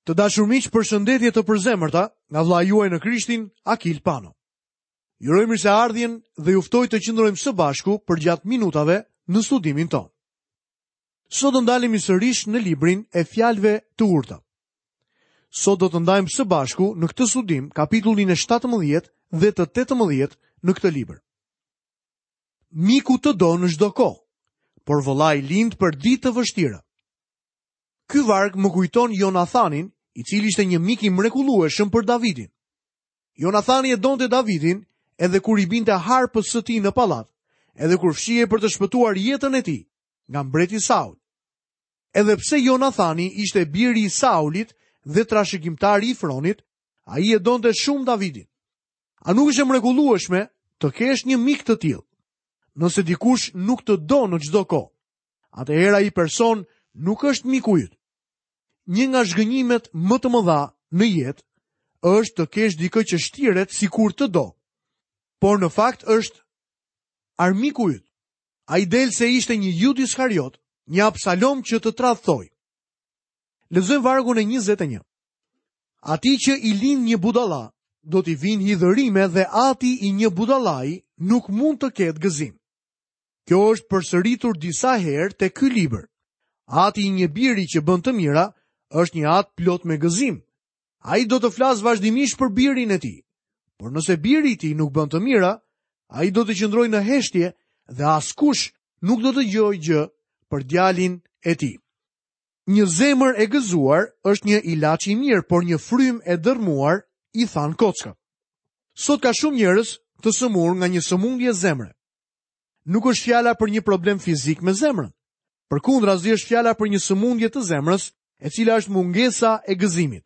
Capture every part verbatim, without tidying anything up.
Të dashur miq, përshëndetje të përzemërta nga vëllai juaj në Krishtin, Akil Pano. Ju uroj mirëseardhjen dhe ju ftoj të qëndrojmë së bashku përgjatë minutave në studimin tonë. Sot do ndalemi sërish në librin e fjalëve të urta. Sot do të ndajmë së bashku në këtë studim kapitullin e shtatëmbëdhjetë dhe të tetëmbëdhjetë në këtë libër. Miku të do në çdo kohë, por vëllai lind për ditë të vështira. Ky varg më kujton Jonathanin, i cili ishte një mik i mrekullueshëm për Davidin. Jonathani e donte Davidin edhe kur i binte harpës së tij në pallat, edhe kur fshihej për të shpëtuar jetën e tij nga mbreti Saul. Edhe pse Jonathani ishte biri i Saulit dhe trashëgimtari i fronit, ai e donte shumë Davidin. A nuk është e mrekullueshme të kesh një mik të tillë? Nëse dikush nuk të do në çdo kohë, atëherë ai person nuk është miku yt. Një nga zhgënjimet më të mëdha në jetë është të kesh dikë që shtiret sikur të do, por në fakt është armiku yt. Ai del se ishte një Judë Iskariot, një Absalom që të tradhtoi. Lexojmë vargun e njëzet e një. Atij që i lind një budalla, do t'i vinë hidhërime dhe ati i një budallai nuk mund të ketë gëzim. Kjo është përsëritur disa herë te ky libër. Ati i një biri që bën të mira është një atë plot me gëzim. Ai do të flasë vazhdimisht për birin e tij. Por nëse biri i tij nuk bën të mira, ai do të qëndrojë në heshtje dhe askush nuk do të dëgjojë gjë për djalin e tij. Një zemër e gëzuar është një ilaç i mirë, por një frymë e dërmuar i than kockat. Sot ka shumë njerëz të sëmurë nga një sëmundje zemre. Nuk është fjala për një problem fizik me zemrën. Përkundrazi është fjala për një sëmundje të zemrës, e cila është mungesa e gëzimit.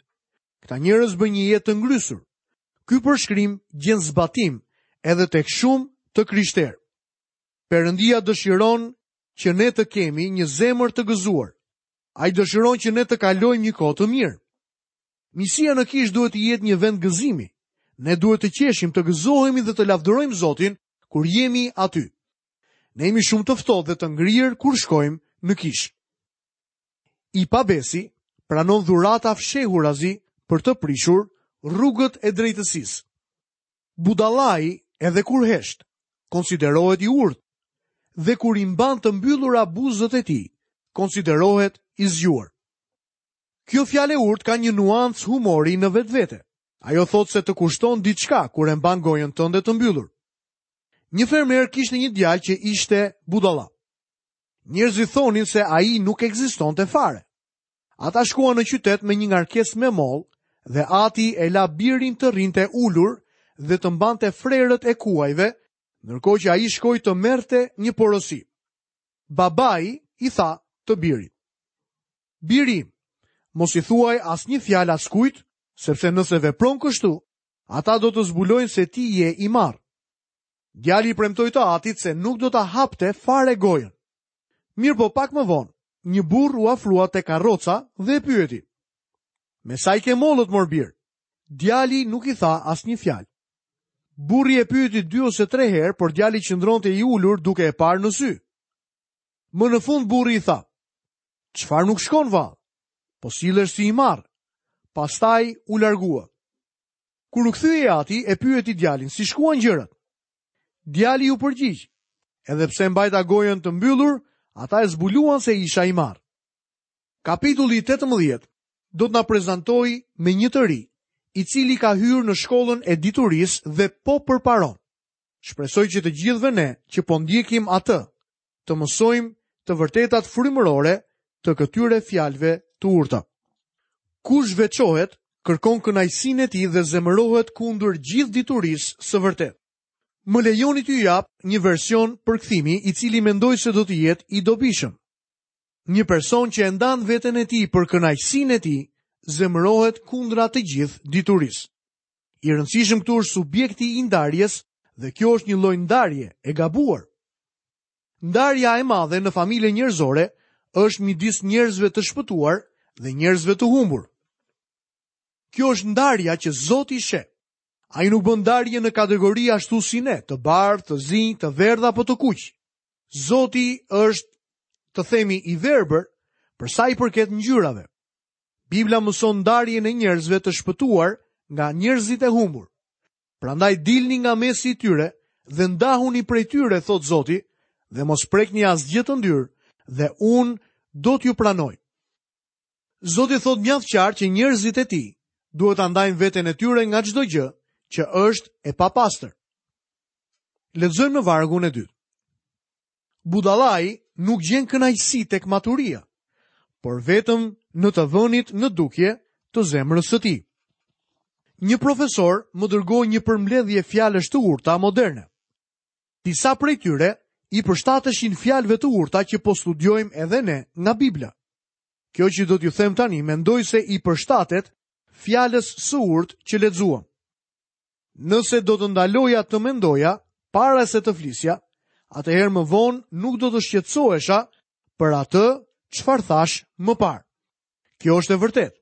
Këta njerëz bëjnë një jetë të ngrysur. Ky përshkrim gjen zbatim edhe tek shumë të krishterë. Perëndia dëshiron që ne të kemi një zemër të gëzuar. Ai dëshiron që ne të kalojmë një kohë të mirë. Misia në kishë duhet të jetë një vend gëzimi. Ne duhet të qeshim, të gëzohemi dhe të lavdërojmë Zotin kur jemi aty. Ne jemi shumë të ftohtë dhe të ngrirë kur shkojmë në kishë. I pabesi pranon dhurata fshehurazi për të prishur rrugët e drejtësisë. Budallai edhe kur hesht, konsiderohet i urtë, dhe kur i mban të mbyllura buzët e tij, konsiderohet i zgjuar. Kjo fjalë e urtë ka një nuancë humori në vetvete. Ajo thotë se të kushton diçka kur e mban gojën tënde të mbyllur. Një fermer kishte një djalë që ishte budalla. Njerëzit thonin se ai nuk ekzistonte fare. Ata shkuan në qytet me një ngarkesë me moll dhe ati e la birin të rrinte ulur dhe të mbante frerët e kuajve, ndërkohë që ai shkoi të merrte një porosi. Babai i tha të birit: Biri, mos i thuaj asnjë fjalë askujt, sepse nëse vepron kështu, ata do të zbulojnë se ti je i marrë. Djali i premtoi të atit se nuk do ta hapte fare gojën. Mirë po pak më vonë, një burr u afrua te karroca dhe e pyeti: Me sa i ke mollët, mor bir? Djali nuk i tha asnjë fjalë. Burri e pyeti dy ose tre herë, por djali qëndronte i ulur duke e parë në sy. Më në fund burri i tha: Çfarë nuk shkon vallë? Po sillesh si i marr. Pastaj u largua. Kur u kthye i ati, e pyeti djalin si shkuan gjërat. Djali u përgjigj: Edhe pse mbajta gojën të mbyllur, ata e zbuluan se isha i marr. Kapitulli i tetëmbëdhjetë do të na prezantojë me një të ri, i cili ka hyrë në shkollën e diturisë dhe po përparon. Shpresoj që të gjithëve ne që po ndjekim atë, të mësojmë të vërtetat frymërore të këtyre fjalëve të urta. Kush veçohet, kërkon kënaqësinë e tij dhe zemërohet kundër gjithë diturisë së vërtetë. Më lejoni t'ju jap një version përkthimi i cili mendoj se do të jetë i dobishëm. Një person që e ndan veten e tij për kënaqësinë e tij, zemërohet kundra të gjithë diturisë. I rëndësishëm këtu është subjekti i ndarjes dhe kjo është një lloj ndarje e gabuar. Ndarja e madhe në familjen njerëzore është midis njerëzve të shpëtuar dhe njerëzve të humbur. Kjo është ndarja që Zoti sheh. Ai nuk bën ndarje në kategori ashtu si ne, të bardhë, të zinj, të verdhë apo të kuq. Zoti është, të themi, i verbër për sa i përket ngjyrave. Bibla mëson ndarjen e njerëzve të shpëtuar nga njerëzit e humbur. Prandaj dilni nga mesi i tyre dhe ndahuni prej tyre, thotë Zoti, dhe mos prekni asgjë të ndyrë, dhe unë do t'ju pranoj. Zoti thotë mjaft qartë që njerëzit e tij duhet ta ndajnë veten e tyre nga çdo gjë që është e papastër. Lexojmë në vargun e dytë. Budallai nuk gjen kënaqësi tek maturia, por vetëm në të vënit në dukje të zemrës së tij. Një profesor më dërgoi një përmbledhje fjalësh të urta moderne. Disa prej tyre i përshtateshin fjalëve të urta që po studiojmë edhe ne nga Bibla. Kjo që do t'ju them tani, mendoj se i përshtatet fjalës së urtë që lexuam. Nëse do të ndaloja të mendoja para se të flisja, atëherë më vonë nuk do të shqetësohesha për atë çfarë thash më parë. Kjo është e vërtetë.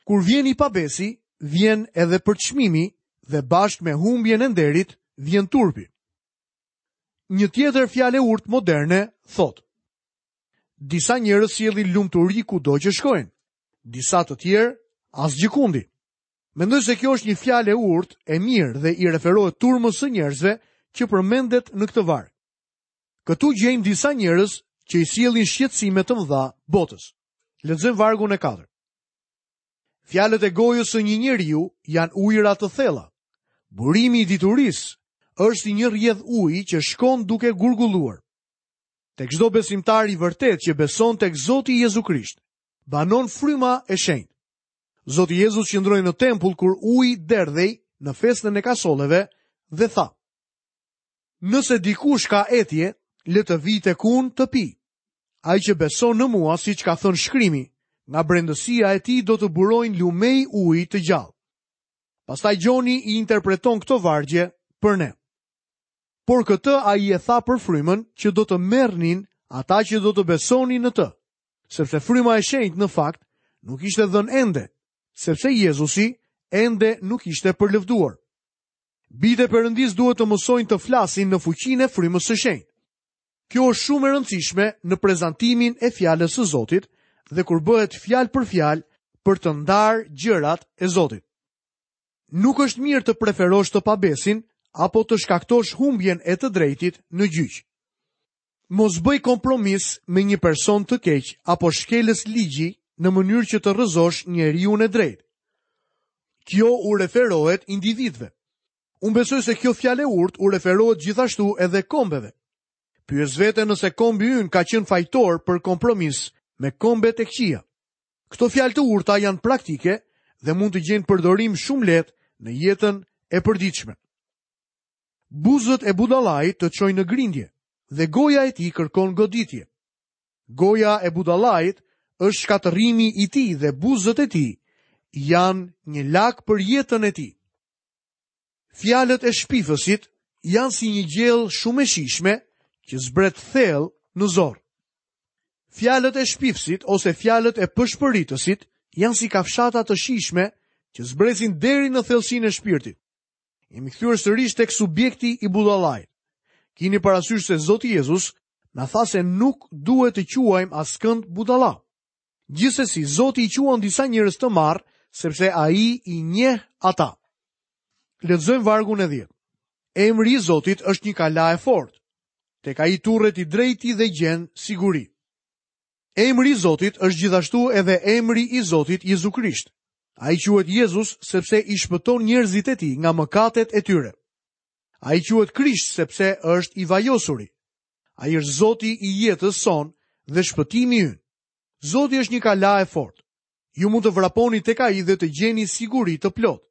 Kur vjen i pabesi, vjen edhe përçmimi dhe bashkë me humbjen e nderit vjen turpi. Një tjetër fjalë e urtë moderne thotë: Disa njerëz sjellin lumturi kudo që shkojnë, disa të tjerë asgjëkundi. Mendoj se kjo është një fjalë e urtë, e mirë dhe i referohet turmës së njerëzve që përmendet në këtë varg. Këtu gjejmë disa njerëz që i sjellin shqetësime të mëdha botës. Lexojmë vargun e katërt. Fjalët e gojës së një njeriu janë ujëra të thella. Burimi i diturisë është si një rrjedh uji që shkon duke gurgulluar. Tek çdo besimtar i vërtet që beson tek Zoti Jezu Krisht, banon fryma e shenjtë. Zoti Jezus qëndroi në tempull kur uji derdhej në festën e kasolleve dhe tha: Nëse dikush ka etje, le të vijë tek unë të pi. Ai që beson në mua, siç ka thënë shkrimi, nga brendësia e tij do të burojnë lumej uji të gjallë. Pastaj Gjoni i interpreton këto vargje për ne. Por këtë ai e tha për frymën që do të merrnin ata që do të besonin në të, sepse fryma e shenjtë në fakt nuk ishte dhënë ende, sepse Jezusi ende nuk ishte përlëvduar. Bijtë e Perëndisë duhet të mësojnë të flasin në fuqinë e frymës së shenjtë. Kjo është shumë e rëndësishme në prezantimin e fjalës së Zotit dhe kur bëhet fjalë për fjalë për të ndarë gjërat e Zotit. Nuk është mirë të preferosh të pabesin apo të shkaktosh humbjen e të drejtit në gjyq. Mos bëj kompromis me një person të keq apo shkelës ligji në mënyrë që të rrëzosh njeriun e drejtë. Kjo u referohet individëve. Unë besoj se kjo fjalë e urtë u referohet gjithashtu edhe kombeve. Pyes veten nëse kombi ynë ka qenë fajtor për kompromis me kombet e këqija. Këto fjalë të urta janë praktike dhe mund të gjejnë përdorim shumë lehtë në jetën e përditshme. Buzët e budallait të çojnë në grindje dhe goja e tij kërkon goditje. Goja e budallait është shkatërrimi i tij dhe buzët e tij janë një lak për jetën e tij. Fjalët e shpifësit janë si një gjellë shumë e shijshme që zbret thellë në zorë. Fjalët e shpifësit ose fjalët e pëshpëritësit janë si kafshata të shijshme që zbresin deri në thellësinë e shpirtit. Jemi kthyer sërish tek subjekti i budallait. Kini parasysh se Zoti Jezus na tha se nuk duhet të quajmë askënd budalla. Gjithsesi, Zoti i quan disa njerëz të marrë, sepse ai i njeh ata. Lexojmë vargun e dhjetë. Emri i Zotit është një kala e fortë. Tek ai turret i drejti dhe gjen siguri. Emri i Zotit është gjithashtu edhe emri i Zotit Jezu Krisht. Ai quhet Jezus sepse i shpëton njerëzit e tij nga mëkatet e tyre. Ai quhet Krisht sepse është i vajosuri. Ai është Zoti i jetës sonë dhe shpëtimi ynë. Zoti është një kala e fortë. Ju mund të vraponi tek ai dhe të gjeni siguri të plotë.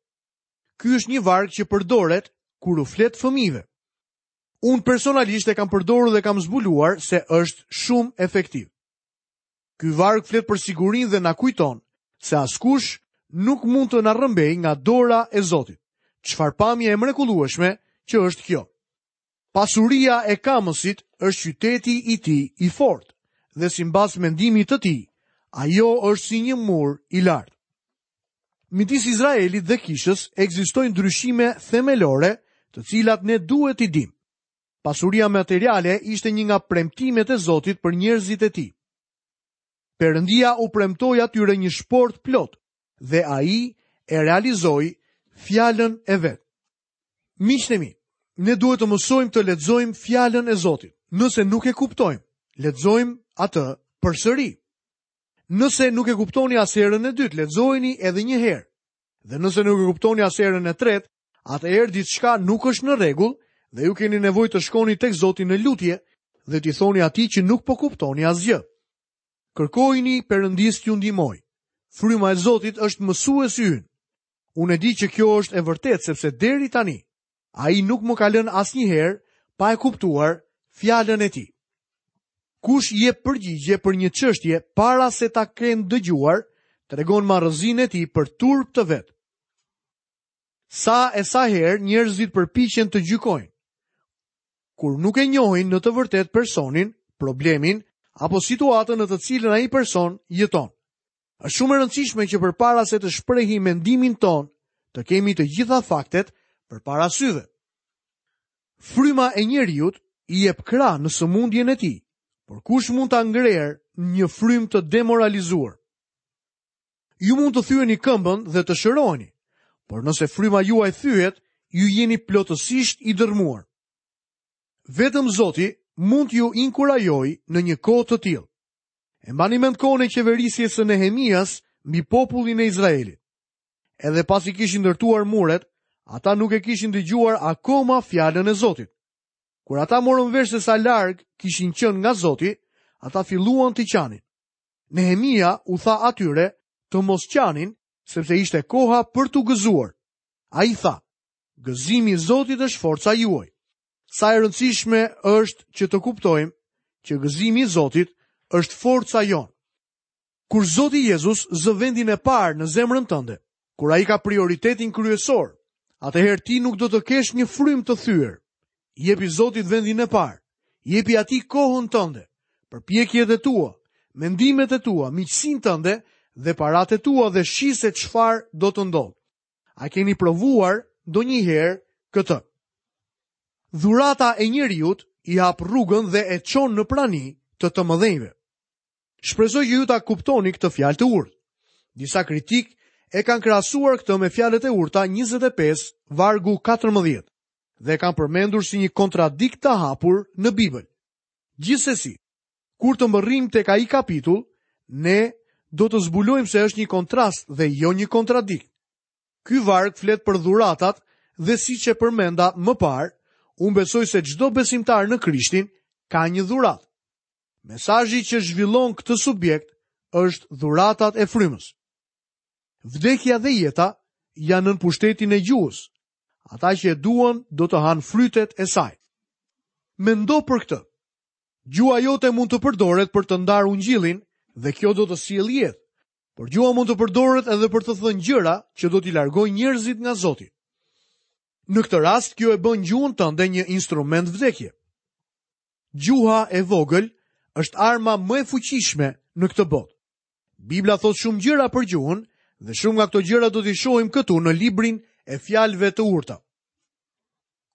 Ky është një varg që përdoret kur u flet fëmijëve. Unë personalisht e kam përdorur dhe kam zbuluar se është shumë efektiv. Ky varg flet për sigurinë dhe na kujton se askush nuk mund të na rrëmbej nga dora e Zotit. Çfarë pamje e mrekullueshme që është kjo. Pasuria e kamësit është qyteti i tij i fortë dhe simbas mendimit të tij, ajo është si një mur i lartë. Midis Izraelit dhe kishës ekzistojnë ndryshime themelore, të cilat ne duhet t'i dimë. Pasuria materiale ishte një nga premtimet e Zotit për njerëzit e tij. Perëndia u premtoi atyre një shportë plot dhe ai e realizoi fjalën e vet. Miqtë e mi, ne duhet të mësojmë të lexojmë fjalën e Zotit. Nëse nuk e kuptojmë, lexojmë atë përsëri. Nëse nuk e kuptoni as herën e dytë, lexojeni edhe një herë. Dhe nëse nuk e kuptoni as herën e tretë, atëherë diçka nuk është në rregull dhe ju keni nevojë të shkoni tek Zoti në lutje dhe t'i thoni atij që nuk po kuptoni asgjë. Kërkojini Perëndisë t'ju ndihmojë. Fryma e Zotit është mësuesi ynë. Unë e di që kjo është e vërtetë sepse deri tani ai nuk më ka lënë asnjëherë pa e kuptuar fjalën e tij. Kush jep përgjigje për një çështje para se ta kenë dëgjuar, tregon marrëzinë e tij për turp të vet. Sa e sa herë njerëzit përpiqen të gjykojnë, kur nuk e njohin në të vërtetë personin, problemin apo situatën në të cilën ai person jeton. Është shumë e rëndësishme që përpara se të shprehim mendimin tonë, të kemi të gjitha faktet përpara syve. Fryma e njeriut i jep krah në sëmundjen e tij, por kush mund ta ngrerë një frymë të demoralizuar? Ju mund të thyeni këmbën dhe të shëroheni, por nëse fryma juaj thyhet, ju jeni plotësisht i dërmuar. Vetëm Zoti mund t'ju inkurajojë në një kohë të tillë. E mbani mend kohën e qeverisjes së Nehemias mbi popullin e Izraelit. Edhe pasi kishin ndërtuar muret, ata nuk e kishin dëgjuar akoma fjalën e Zotit. Kur ata morën vesh se sa larg kishin qenë nga Zoti, ata filluan të qanin. Nehemia u tha atyre të mos qanin, sepse ishte koha për t'u gëzuar. Ai tha: "Gëzimi i Zotit është forca juaj." Sa e rëndësishme është që të kuptojmë që gëzimi i Zotit është forca jonë. Kur Zoti Jezus zë vendin e parë në zemrën tënde, kur ai ka prioritetin kryesor, atëherë ti nuk do të kesh një frymë të thyer. Jepi Zotit vendin e parë, jepi atij kohën tënde, përpjekjet e tua, mendimet e tua, miqësinë tënde dhe paratë e tua dhe shih se çfarë do të ndodhë. A keni provuar ndonjëherë këtë? Dhurata e njeriut i hap rrugën dhe e çon në prani të të mëdhenjve. Shpresoj që ju ta kuptoni këtë fjalë të urtë. Disa kritik e kanë krahasuar këtë me fjalët e urta njëzet e pesë, vargu katërmbëdhjetë, dhe e kanë përmendur si një kontradikt të hapur në Bibël. Gjithsesi, kur të mbërrijmë tek ai kapitull, ne do të zbulojmë se është një kontrast dhe jo një kontradikt. Ky varg flet për dhuratat dhe siç e përmenda më parë, unë besoj se çdo besimtar në Krishtin ka një dhuratë. Mesazhi që zhvillon këtë subjekt është dhuratat e frymës. Vdekja dhe jeta janë nën pushtetin e gjuhës. Ata që e duan do të hanë frytet e saj. Mendo për këtë. Gjuha jote mund të përdoret për të ndarë ungjillin dhe kjo do të sjellë jetë. Por gjuha mund të përdoret edhe për të thënë gjëra që do t'i largojnë njerëzit nga Zoti. Në këtë rast, kjo e bën gjuhën tënde një instrument vdekje. Gjuha e vogël është arma më e fuqishme në këtë botë. Bibla thotë shumë gjëra për gjuhën dhe shumë nga këto gjëra do t'i shohim këtu në librin e fjalëve të urta.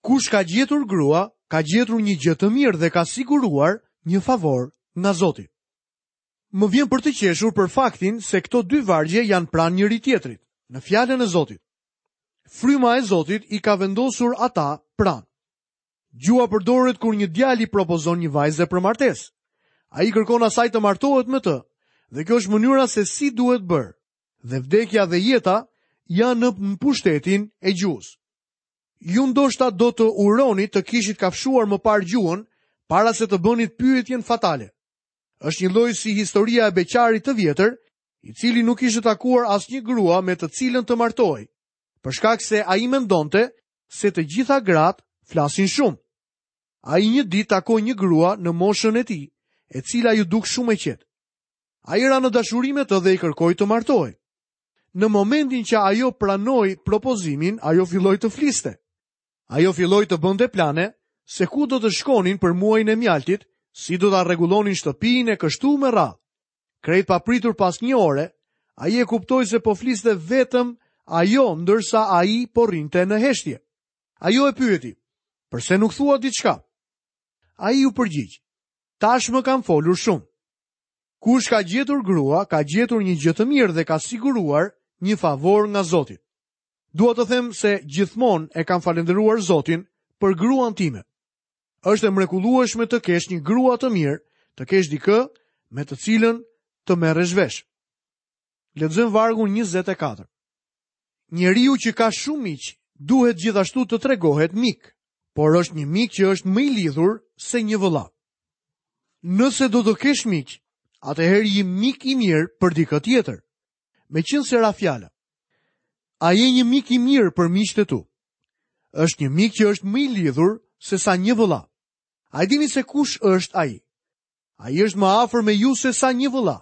Kush ka gjetur grua, ka gjetur një gjë të mirë dhe ka siguruar një favor nga Zoti. Më vjen për të qeshur për faktin se këto dy vargje janë pranë njëri tjetrit, në fjalën e Zotit. Fryma e Zotit i ka vendosur ata pranë. Gjuha përdoret kur një djalë i propozon një vajze për martesë. Ai kërkon asaj të martohet me të, dhe kjo është mënyra se si duhet bërë. Dhe vdekja dhe jeta janë në pushtetin e gjuhës. Ju ndoshta do të uroni të kishit kafshuar më parë gjuhën para se të bënit pyetjen fatale. Është një lloj si historia e beqarit të vjetër, i cili nuk kishte takuar asnjë grua me të cilën të martohej, për shkak se ai mendonte se të gjitha gratë flasin shumë. Ai një ditë takoi një grua në moshën e tij, e cila ju duk shumë e qetë. Ai ra në dashuri me të dhe i kërkoi të martohej. Në momentin që ajo pranoi propozimin, ajo filloi të fliste. Ajo filloi të bënte plane se ku do të shkonin për muajin e mjaltit, si do ta rregullonin shtëpinë e kështu me radhë. Krejt papritur pas një ore, ai e kuptoi se po fliste vetëm ajo, ndërsa ai po rrinte në heshtje. Ajo e pyeti: "Përse nuk thua diçka?" Ai u përgjigj: "Tashmë kam folur shumë." Kush ka gjetur grua, ka gjetur një gjë të mirë dhe ka siguruar një favor nga Zoti. Dua të them se gjithmonë e kam falënderuar Zotin për gruan time. Është e mrekullueshme të kesh një grua të mirë, të kesh dikë me të cilën të merresh vesh. Lexojmë vargun njëzet e katër. Njeriu që ka shumë miq duhet gjithashtu të tregohet mik, por është një mik që është më i lidhur se një vëlla. Nëse do të kesh miq, atëherë je mik i mirë për dikë tjetër. Meqenëse ra fjala, a je një mik i mirë për miqtë e tu? Është një mik që është më i lidhur se sa një vëlla. A e dini se kush është ai? Ai është më afër me ju se sa një vëlla.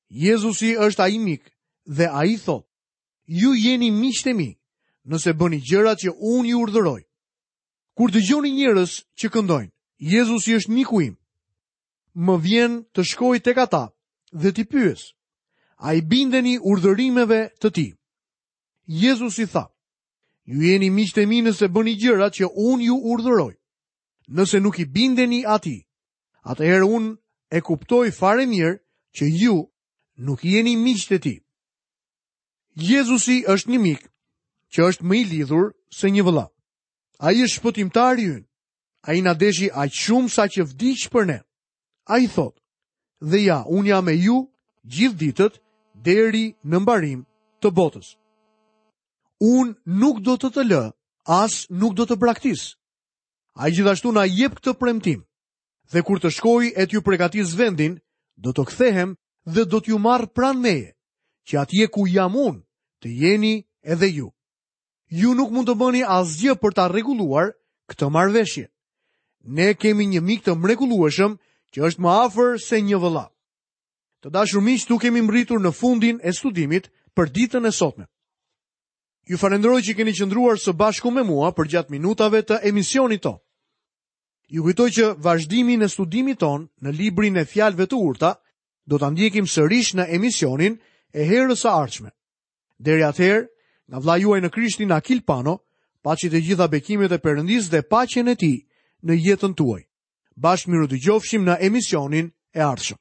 Jezusi është ai mik dhe ai thotë: Ju jeni miqtë e mi, nëse bëni gjërat që unë ju urdhëroj. Kur dëgjoni njerëz që këndojnë, Jezusi është miku im, më vjen të shkoj tek ata dhe t'i pyes, a i bindeni urdhërimeve të tij? Jezusi tha: Ju jeni miqtë e mi nëse bëni gjërat që unë ju urdhëroj. Nëse nuk i bindeni atij, atëherë unë e kuptoj fare mirë që ju nuk jeni miqtë e tij. Jezusi është një mik që është më i lidhur se një vëlla. Ai është shpëtimtari ynë. Ai na deshi aq shumë sa që vdiq për ne. Ai thotë: Dhe ja, unë jam me ju gjithë ditët deri në mbarim të botës. Unë nuk do të të lë, as nuk do të braktis. Ai gjithashtu na jep këtë premtim. Dhe kur të shkoj e t'ju përgatis vendin, do të kthehem dhe do t'ju marr pranë meje, që atje ku jam unë, të jeni edhe ju. Ju nuk mund të bëni asgjë për ta rregulluar këtë marrëveshje. Ne kemi një mik të mrekullueshëm që është më afër se një vëlla. Të dashur miq, tu kemi mbërritur në fundin e studimit për ditën e sotme. Ju falenderoj që keni qëndruar së bashku me mua përgjatë minutave të emisionit tonë. Ju kujtoj që vazhdimin e studimit ton në librin e fjalëve të urta do ta ndjekim sërish në emisionin e herës së ardhshme. Deri atëherë, nga vëllai juaj në Krishtin Akil Pano, paçi të gjitha bekimet e Perëndisë dhe paqen e tij në jetën tuaj. Bashkë mirudëgjofshim në emisionin e ardhshëm.